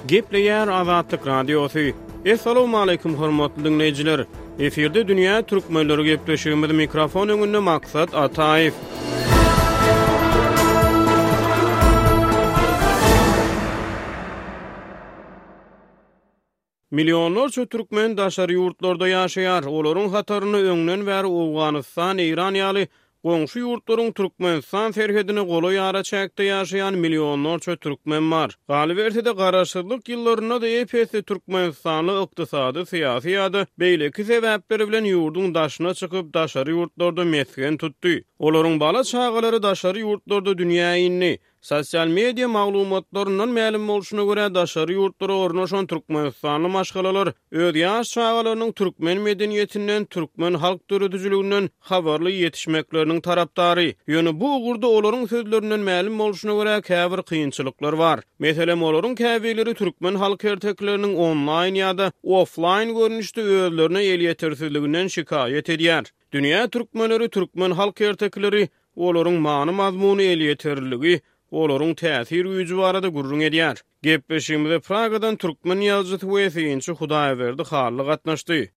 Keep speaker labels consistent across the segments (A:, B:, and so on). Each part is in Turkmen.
A: Gepleýär Azatlyk Radiosy. Essalawmaleýkim hormatly diňleýjiler! Efirde dünýä türkmenleri gepleşigimiz mikrofon öňünde Maksat Ataýew. Millionlarça türkmen daşary ýurtlarda ýaşaýar. Olaryň hatarynda öňden bäri Owganystan, Eýran ýaly goňşy ýurtlaryň Türkmenistan serhedine golaý araçäkde ýaşaýan millionlarça türkmen bar. Galyberse-de, garaşsyzlyk ýyllarynda-da ep-esli türkmenistanly ykdysady, syýasy ýa-da beýleki sebäpleri bilen ýurduň daşyna çykyp, daşary ýurtlarda mesgen tutdy. Olaryň bala-çagalary daşary ýurtlarda dünýä indi. Sosial media maglumatlaryndan mälim bolşuna görä, daşary ýurtlara ornaşan türkmenistanly maşgalalar öz ýaş çagalarynyň türkmen medeniýetinden, türkmen halk döredijiliginden habarly ýetişmekleriniň tarapdary. Ýöne bu ugurda olaryň sözlerinden mälim bolşuna görä, käbir kynçylyklar bar. Meselem, olaryň käbirleri türkmen halk ertekileriniň onlaýn ýa-da oflaýn görnüşde özlerine elýetersizliginden şikaýat edýär. Dünýä türkmenleri türkmen halk ertekileri olaryň many-mazmuny, elýeterliligi, olaryň täsir güýji barada gürrüň edýär. Gepleşigimize Pragadan türkmen ýazyjysy we synçy Hudaýberdi Hally gatnaşdy.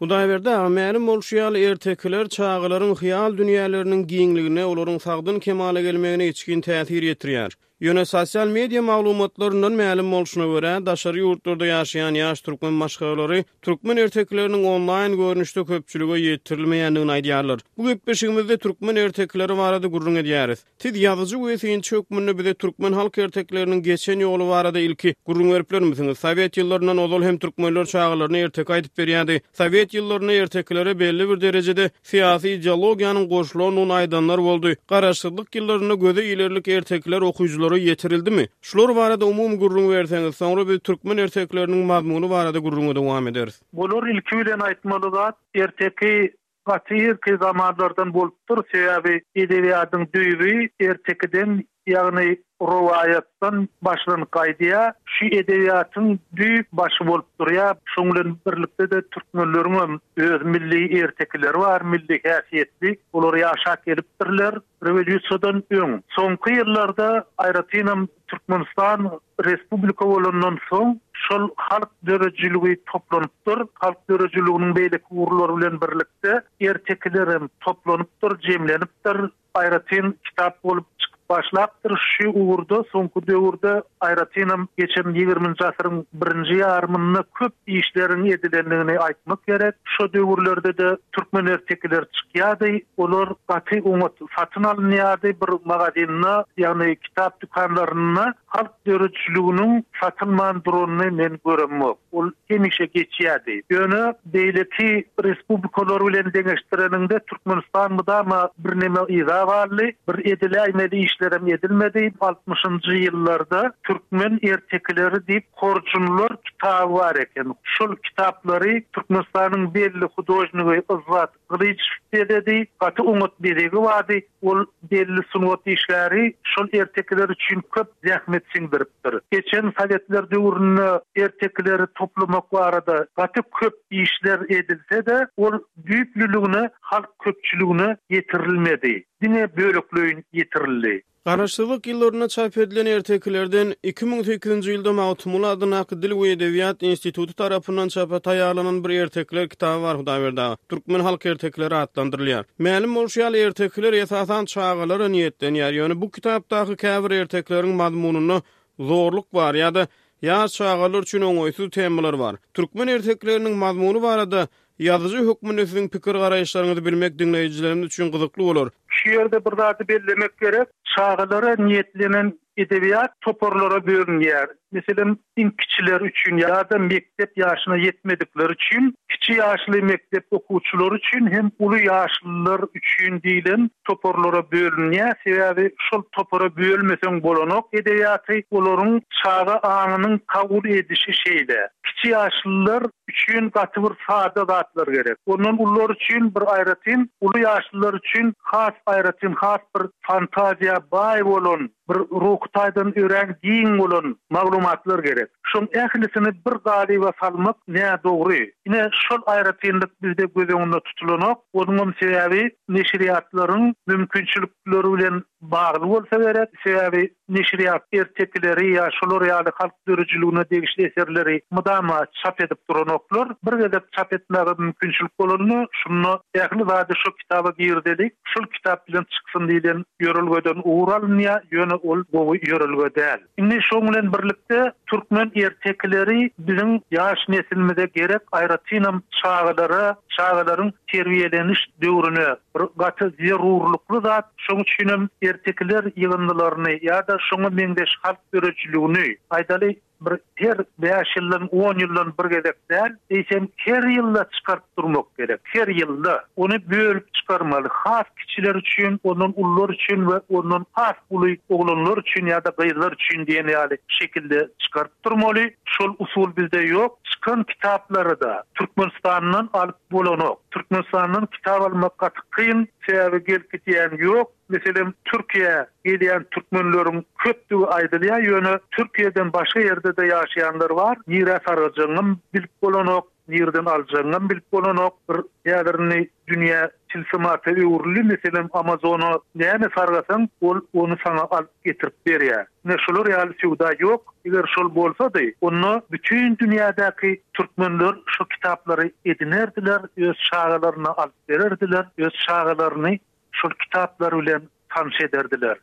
A: Hudaýberdi aga, mälim bolşy ýaly, ertekiler çagalaryň hyýal dünýäleriniň giňligine, olaryň sagdyn kemala gelmegine içgin täsir ýetirýär. Ýöne sosial media maglumatlaryndan mälim bolşuna görä, daşary ýurtlarda ýaşaýan ýaş türkmen maşgalalary türkmen ertekileriniň onlaýn görnüşde köpçülige ýetirilmeýändigini aýdýarlar. Bu gepleşigimizde türkmen ertekileri barada gürrüň edýäris. Siz ýazyjy we synçy hökmünde bize türkmen halk ertekileriniň geçen ýoly barada ilki gürrüň berip bilermisiňiz? Sowet ýyllaryndan ozal hem türkmenler çagalaryna erteki aýdyp berýärdi. Sowet ýyllarynda ertekilere belli bir derejede syýasy ideologiýanyň goşulandygyny aýdanlar boldy. Garaşsyzlyk ýyllarynda göze ilerlik ertekiler okyjylara ýetirildimi? Şular barada umumy gürrüň berseňiz, soňra biz türkmen ertekileriniň mazmuny barada gürrüňe dowam ederis.
B: Bular ilki bilen aýtmaly zat, erteki gaty irki zamanlardan bolupdyr, sebäbi edebiýatyň düýbi ertekiden, ýagny rowaýatdan başlanyp gaýdýar. Şu edebiýatyň düýp başy bolup durýar. Şoň bilen birlikde-de türkmenleriňem öz milli ertekileri bar, milli häsiýetli. Olar ýaşap gelipdirler rewolýusiýadan öň. Soňky ýyllarda, aýratynam Türkmenistan respublika bolandan soň şol halk döredijiligi toplanypdyr. Halk döredijiliginiň beýleki ugurlary bilen birlikde ertekilerem toplanypdyr, jemlenipdir. Aýratyn kitap bolup çykyp başlapdyr. Şu ugurda soňky döwürde, aýratynam geçen ýigriminji asyryň birinji ýarymynda köp işleriň edilendigini aýtmak gerek. Şo döwürlerde-de türkmen ertekileri çykýardy. Olar gaty oňat satyn alynýardy. Bir magazinde, ýagny kitap dükanlarynda halk döredijiliginiň satylman duranyny men göremok. Ol hemişe geçýärdi. Ýöne beýleki respublikalar bilen deňeşdireniňde Türkmenistan mydama birneme yza galdy. Bir ediläýmeli işlerem edilmedi. Altmyşynjy ýyllarda Türkmen ertekileri diýip horjunlar kitaby bar eken. Şol kitaplary Türkmenistanyň belli hudožnigi Yzzat Gylyjow bezedi. Gaty oňat bezegi bardy. Ol belli sungat işgäri şol ertekiler üçin köp zähmet siňdiripdir. Geçen sowetler döwründe ertekileri toplamak barada gaty köp işler edilse-de, ol düýplüligine halk köpçüligine ýetirilmedi. Diňe bölekleýin ýetirildi.
A: Garaşsyzlyk ýyllarynda çap edilen ertekilerden 2008-nji ýylda Magtymguly adyndaky Dil we edebiýat instituty tarapyndan çapa taýýarlanan bir ertekiler kitaby bar Hudaýberdi aga. Türkmen halk ertekileri atlandyrylýar. Mälim bolşy ýaly, ertekiler esasan çagalara niýetlenýär. Ýöne bu kitapdaky käbir ertekileriň mazmunynda zorluk bar ýa-da ýaş çagalar üçin oňaýsyz temalar bar. Türkmen ertekileriniň mazmuny barada Ýazyjy hökmünde siziň pikir-garaýyşlaryňyzy bilmek diňleýjilerimiz üçin gyzykly bolar.
B: Şu ýerde bir zady bellemek gerek, çagalara niýetlenen edebiýat toparlara bölünýär. Meselem, iň kiçiler üçin ýa-da mekdep ýaşyna ýetmedikler üçin, kiçi ýaşly mekdep okuwçylary üçin hem uly ýaşlylar üçin diýlen toparlara bölünýär. Sebäbi şol topara bölmeseň bolanok edebiýaty, olaryň çaga aňynyň kabul edişi şeýle. Kiçi ýaşlylar üçin gaty bir sada zatlar gerek. Ondan ulular üçin bir aýratyn, uly ýaşlylar üçin has aýratyn, has bir fantaziýa baý bolan, bir ruhy taýdan örän giň bolan maglumatlar gerek. Şoň ählisini bir galyba salmak nädogry. Ine, şol aýratynlyk bizde göz öňünde tutulanok. Onuňam sebäbi neşirýatlaryň mümkinçilikleri bilen bagly bolsa gerek. Sebäbi. Neşirýat ertekileri ýa şolar ýaly halk döredijiligine degişli eserleri mydama çap edip duranoklar. Bir gezek çap etmäge mümkinçilik bolanda, şunda ähli zady şo kitaba girizeli, şol kitap bilen çyksyn diýlen ýörelgeden ugur alynýar, ýöne ol gowy ýörelge däl. Indi şoň bilen birlikde türkmen ertekileri biziň ýaş neslimize gerek, aýratynam çagalara, çagalaryň terbiýeleniş döwrüne bir gaty zerurlykly zat. Şoň üçinem ertekiler ýygyndylaryny ýa-da şoňa meňzeş halk döredijiligini, aýdaly, bir her bäş ýyldan, on ýyldan bir gezek däl, eýsem her ýylda çykaryp durmak gerek. Her ýylda. Ony bölüp çykarmaly. Has kiçiler üçin, ondan ulular üçin we ondan has uly oglanlar üçin ýa-da gyzlar üçin diýen ýaly şekilde çykaryp durmaly. Şol usul bizde ýok. Çykan kitaplary-da Türkmenistandan alyp bolanok. Türkmenistandan kitap almak gaty kyn. Sebäbi gelip gidýän ýok. Meselem, Türkiýä gelýän türkmenleriň köpdügi aýdylýar, ýöne Türkiýeden başga ýerde-de ýaşaýanlar bar. Nirä sargajagyňam bilip bolanok, nireden aljagyňam bilip bolanok. Bir häzir indi dünýä tilsimata öwrüldi. Meselem, Amazona näme sargasaň, ol ony saňa alyp getirip berýär. Ine şular ýaly söwda ýok. Eger şol bolsady, onda bütin dünýädäki türkmenler şu kitaplary edinerdiler, öz çagalaryna alyp bererdiler, öz çagalaryny şol kitaplar bilen tanyş ederdiler.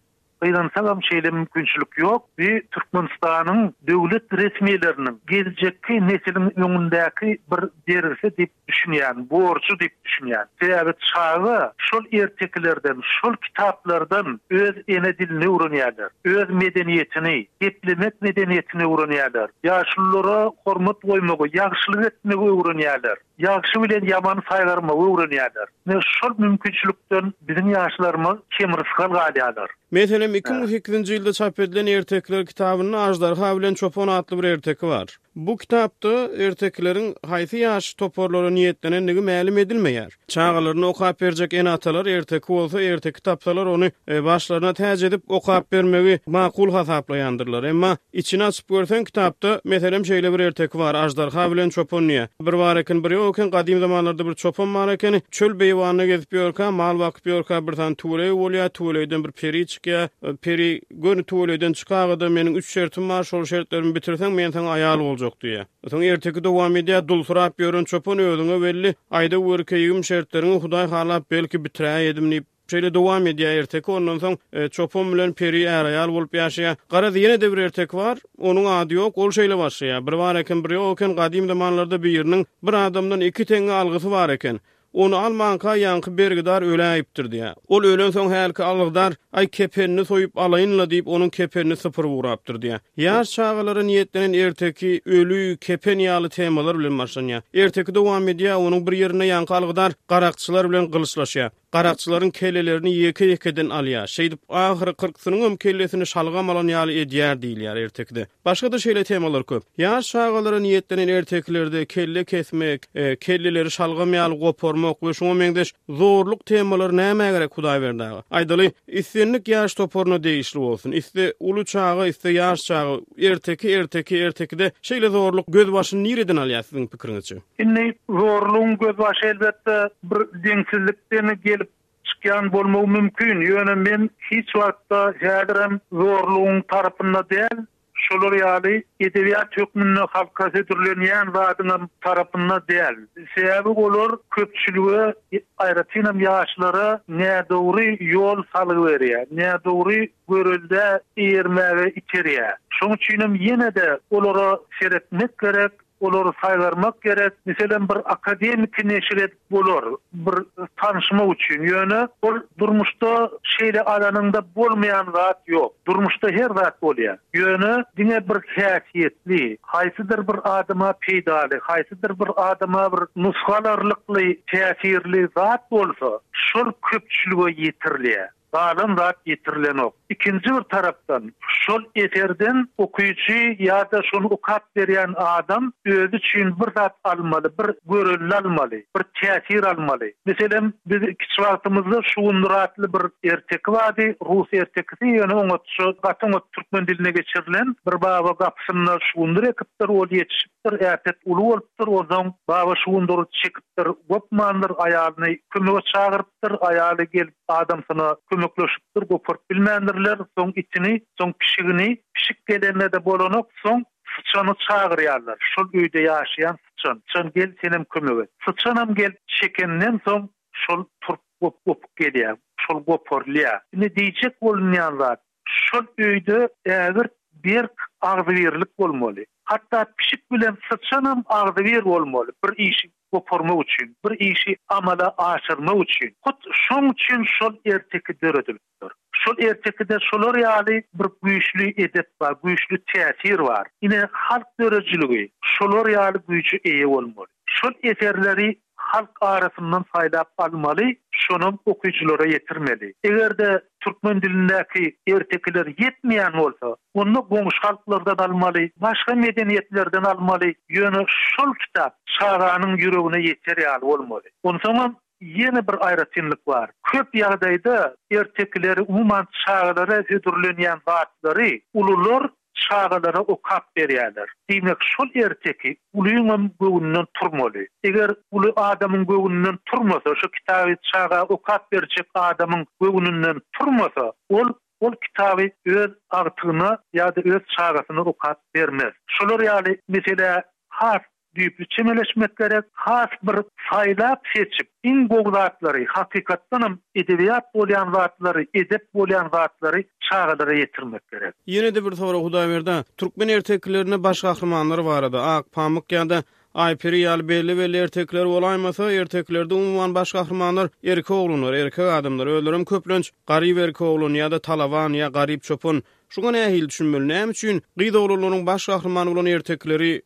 B: Gynansagam şeýle mümkinçilik ýok. Bu Türkmenistanyň döwlet resmileriniň geljekki nesiliň öňündäki bir bergisi diýip düşünýän, borjy diýip düşünýän. Sebäbi çaga şol ertekilerden, şol kitaplardan öz ene dilini öwrenýärler, öz medeniýetini, geplemek medeniýetini öwrenýärler, ýaşululara hormat goýmagy, ýagşylyk etmegi öwrenýärler, ýagşy bilen ýamany saýgarmagy öwrenýärler. Ine, şol mümkinçilikden biziň ýaşlarymyz kemrysgal galýarlar.
A: Meselem, 2008-nji ýylda çap edilen Ertekiler kitabynda Aždarha bilen çopan atly bir erteki bar. Bu kitapda ertekileriň haýsy ýaş toparlara niýetlenendigi mälim edilmeýär. Çagalaryna okap berjek ene-atalar erteki bolsa, erteki tapsalar ony başlaryna täç edip okap bermegi makul hasaplaýandyrlar. Emma içini açyp görseň kitapda, meselem, şeýle bir erteki bar, Aždarha bilen çopan diýýär. Bir bar eken, bir ýok eken, gadym zamanlarda bir çopan bar ekeni. Çöl beýewanda gezip ýörkä, mal bakyp ýörkä bir sany tüweleý bolýar, tüweleýden bir peri çykýar. Peri Göni tüweleýden çykaga-da meniň üç şertim bar, şol şertlerimi bitirseň, men saňa aýal boljak diýýär. Soň erteki dowam edýär, Dulsyrap ýören çopan özüňe belli, aýda gör keýigim şertleriňi Hudaý halap belki bitiräýedim diýip, şeýle dowam edýär erteki, ondan soň çopan bilen peri är-aýal bolup ýaşaýar. Garaz ýene-de bir erteki bar, onuň ady ýok, ol şeýle başlaýar, Bir bar eken, bir ýok eken, gadym zamanlarda biriniň bir adamdan iki teňňe algysy bar eken. Ony almanka ýaňky bergidar öläýipdir diýýär. Ol ölensoň hälki algydar, Aý, kepenini soýup alaýyn-la diýip, onuň kepenini sypyryp ugrapdyr diýýär. Ýaş çagalara niýetlenen erteki öli, kepen ýaly temalar bilen başlanýar. Erteki dowam edýär, onuň bir ýerinde ýaňky algydar garakçylar bilen gylyçlaşýar. Garakçylaryň kellelerini ýeke-ýekeden alýar. Şeýdip, ahyry kyrksynyňam kellesini şalgam alan ýaly edýär diýilýär ertekide. Başga-da şeýle temalar köp. Ýaş çagalara niýetlenen ertekilerde kelle kesmek, kelleleri şalgam ýaly goparmak we şuňa meňzeş zorluk temalary nämä gerek Hudaýberdi aga? Aýdaly, islendik ýaş toparyna degişli bolsun, isle uly çaga, isle ýaş çaga, erteki erteki, ertekide şeýle zorluk gözbaşyny nireden alýar siziň pikiriňizçe?
B: Indi zorlugyň gözbaşy elbetde bir deňsizlikden gelip Çykýan bolmagy mümkin, ýöne men hiç wagtda häzirem zorlugyň tarapynda däl, şolar ýaly edebiýat hökmünde halka hödürlenýän zadyňam tarapynda däl. Sebäbi olar köpçülige, aýratynam ýaşlara nädogry ýol salgy berýär, nädogry göreldä eýermäge iterýär. Şonuň üçinem ýene-de olara seretmek gerek, Olary saýgarmak gerek. Meselem, bir akademiki neşir edip bolar, bir tanyşmak üçin. Ýöne ol durmuşda şeýle alanyňda bolmaýan zat ýok. Durmuşda her zat bolýar. Ýöne diňe bir häsiýetli, haýsydyr bir adama peýdaly, haýsydyr bir adama bir nusga alarlykly, täsirli zat bolsa, şol köpçülige ýetirilýär. Galan zat ýetirilenok. Ikinji bir tarapdan, şol eserden okyjy ýa-da şony okap berýän adam özi üçin bir zat almaly, bir görelde almaly, bir täsir almaly. Meselem, biz kiçi wagtymyzda Şugundyr atly bir erteki bardy, rus ertekisi, ýöne oňatja, gaty oňat türkmen diline geçirilen. Bir baba gapysynda şugundyr ekipdir, ol ýetişipdir, äpet uly bolupdyr, onsoň baba şugundyry çekipdir, gopmandyr, aýalyny kömege çagyrypdyr, aýaly gelip, Adamsyna kömek. kömekleşipdir, goparyp bilmändirler, soň itini, soň pişigini, pişik gelende-de bolanok, soň syçany çagyrýarlar, şol öýde ýaşaýan syçan, syçan gel senem kömek et. Syçanam gelip çekenden soň şol turp gopup gelýär, şol goparylýar. Indi diýjek bolunýan zat, şol öýde ägirt berk agzybirlik bolmaly. Hatda pişik bilen syçanam agzybir bolmaly bir işi goparmak üçin, bir işi amala aşyrmak üçin. Hut şoň üçin şol erteki döredilipdir. Şol ertekide şolar ýaly bir güýçli edep bar, güýçli täsir bar. Ine, halk döredijiligi şolar ýaly güýje eýe bolmaly. Şol eserleri halk arasyndan saýlap almaly, şonam okyjylara ýetirmeli. Eger-de türkmen dilindäki ertekiler ýetmeýän bolsa, onda goňşy halklardan almaly, başga medeniýetlerden almaly, ýöne şol kitap çaganyň ýüregine ýeter ýaly bolmaly. Onsoňam ýene bir aýratynlyk bar. Köp ýagdaýda ertekileri, umuman çagalara hödürlenýän zatlary ulular çagalara okap berýärler. Diýmek, şol erteki ulyňam göwnünden turmaly. Eger uly adamyň göwnünden turmasa, şo kitaby çaga okap berjek adamyň göwnünden turmasa, ol ol kitaby öz agtygyna ýa-da öz çagasyna okap bermez. Şolar ýaly meselä has Düýpli çemeleşmek gerek, has bir saýlap-seçip, iň gowy zatlary, hakykatdanam edebiýat bolýan zatlary, edep bolýan zatlary çagalara ýetirmek gerek.
A: Ýene-de bir sorag Hudaýberdi, türkmen ertekilerinde baş gahrymanlar barada, Akpamyk ýa-da Aýperi ýaly belli-belli ertekiler bolaýmasa, ertekilerde umuman baş gahrymanlar erkek oglanlar, erkek adamlar, özlerem köplenç garyp erkek oglan ýa-da talaban ýa garyp çopan. Şuňa nähili düşünmeli? Näme üçin gyz oglanlaryň baş gahrymany bolan ertekileri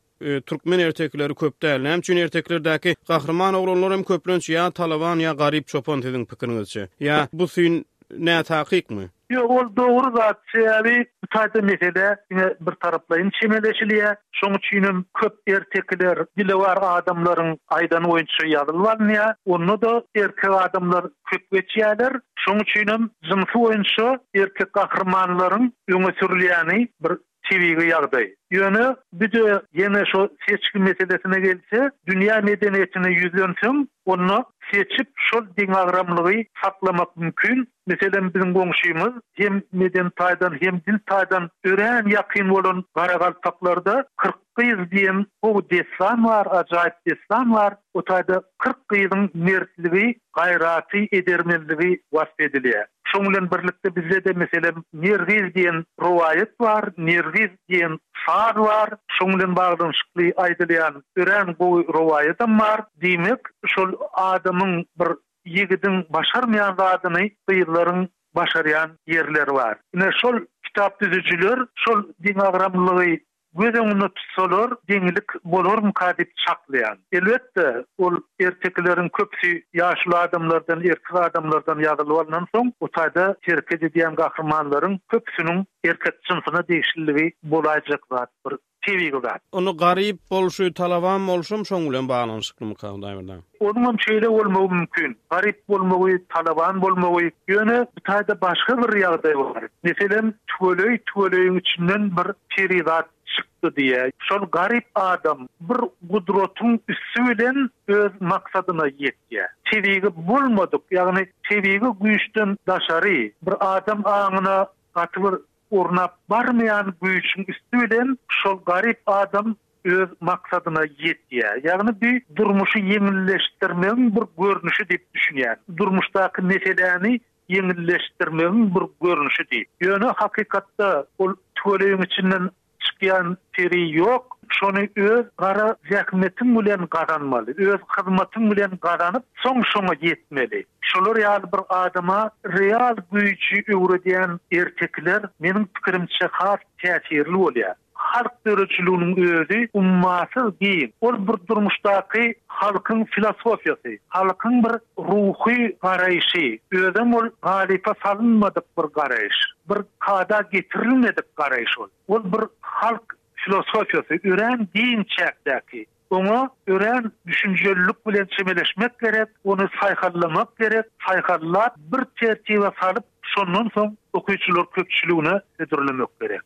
A: Türkmen ertekileri köp däl. Näme üçin ertekilerdäki gahryman oglanlar hem köplenç ýa talaban ýa garyp çopan siziň pikiriňizçe? Ýa bu syn nätakykmy?
B: Ýok, ol dogry zat. Sebäbi bu taýda meselä diňe bir taraplaýyn çemeleşilýär. Şoň üçinem köp ertekiler dilewar adamlaryň aýdany boýunça ýazylyp alynýar. Onda-da erkek adamlar köp geçýärler. Şoň üçinem jynsy boýunça erkek gahrymanlaryň öňe sürülýäni bir tebigy ýagdaý. Ýöne bir-de ýene şo seçgi meselesine gelse, dünýä medeniýetine ýüzlenseň, onda seçip şol deňagramlygy saklamak mümkin. Meselem, biziň goňşymyz hem medeni taýdan, hem dil taýdan örän ýakyn bolan garagalpaklarda 40 gyz diýen gowy dessan bar, ajaýyp dessan bar. O taýda 40 gyzyň mertligi, gaýraty, edermenligi wasp edilýär. Şoň bilen birlikde bizde-de, meselem, Nergiz diýen rowaýat bar, Nergiz diýen saz bar, şoň bilen baglanyşykly aýdylýan örän gowy rowaýatam bar. Diýmek, şol adamyň bir ýigidiň başarmaýan zadyny gyzlaryň başarýan ýerleri bar. Ine, şol kitap düzüjiler şol deňagramlylygy göz öňünde tutsalar, deňlik bolarmyka diýip çaklaýan. Elbetde, ol ertekileriň köpüsi ýaşuly adamlardan, erkek adamlardan ýazylyp alnansoň, bu taýda hereket edýän gahrymanlaryň köpüsiniň erkek jynsyna degişliligi bolaýjak zat, bir tebigy zat.
A: Ony garyp bolşy, talaban bolşam şoň bilen baglanyşyklymyka, Hudaýberdi?
B: Onuňam şeýle bolmagy mümkin. Garyp bolmagy, talaban bolmagy. Ýöne bu taýda başga bir ýagdaý bar. Meselem, tüweleý tüweleýiň içinden bir perizat çykdy diýýär. Şol garyp adam bir gudratyň üsti bilen öz maksadyna ýetýär. Tebigy bolmadyk, ýagny tebigy güýçden daşary bir adam aňyna gaty bir Ornap barmaýan güýçüň üsti bilen şol garyp adam öz maksadyna ýetýär. Ýagny bu durmuşy ýeňilleşdirmegiň bir görnüşi diýip düşünýän. Durmuşdaky meseläni ýeňilleşdirmegiň bir görnüşi diýip. Ýöne hakykatda ol tüweleýiň içinden çykýan peri ýok. Şony öz gara zähmetiň bilen gazanmaly. Öz hyzmatyň bilen gazanyp, soň şoňa ýetmeli. Şolar ýaly bir adama real güýji öwredýän ertekiler meniň pikirimçe has täsirli bolýar. Halk döredijiliginiň özi ummasyz giň. Ol bir durmuşdaky halkyň filosofiýasy, halkyň bir ruhy garaýşy. Özem ol galypa salynmadyk bir garaýyş. Bir kada getirilmedik garaýyş ol. Ol bir halk filosofiýasy, örän giň çäkdäki. Oňa örän düşünjelilik bilen çemeleşmek gerek, ony saýhallamak gerek, saýhallap, bir tertibe salyp, şondan soň okyjylar köpçüligine hödürlemek gerek.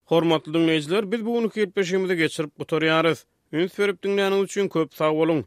A: Hormatly diňleýjiler, biz bu günki gepleşigimizi geçirip gutarýarys. Üns berip diňläniňiz üçin köp sag boluň!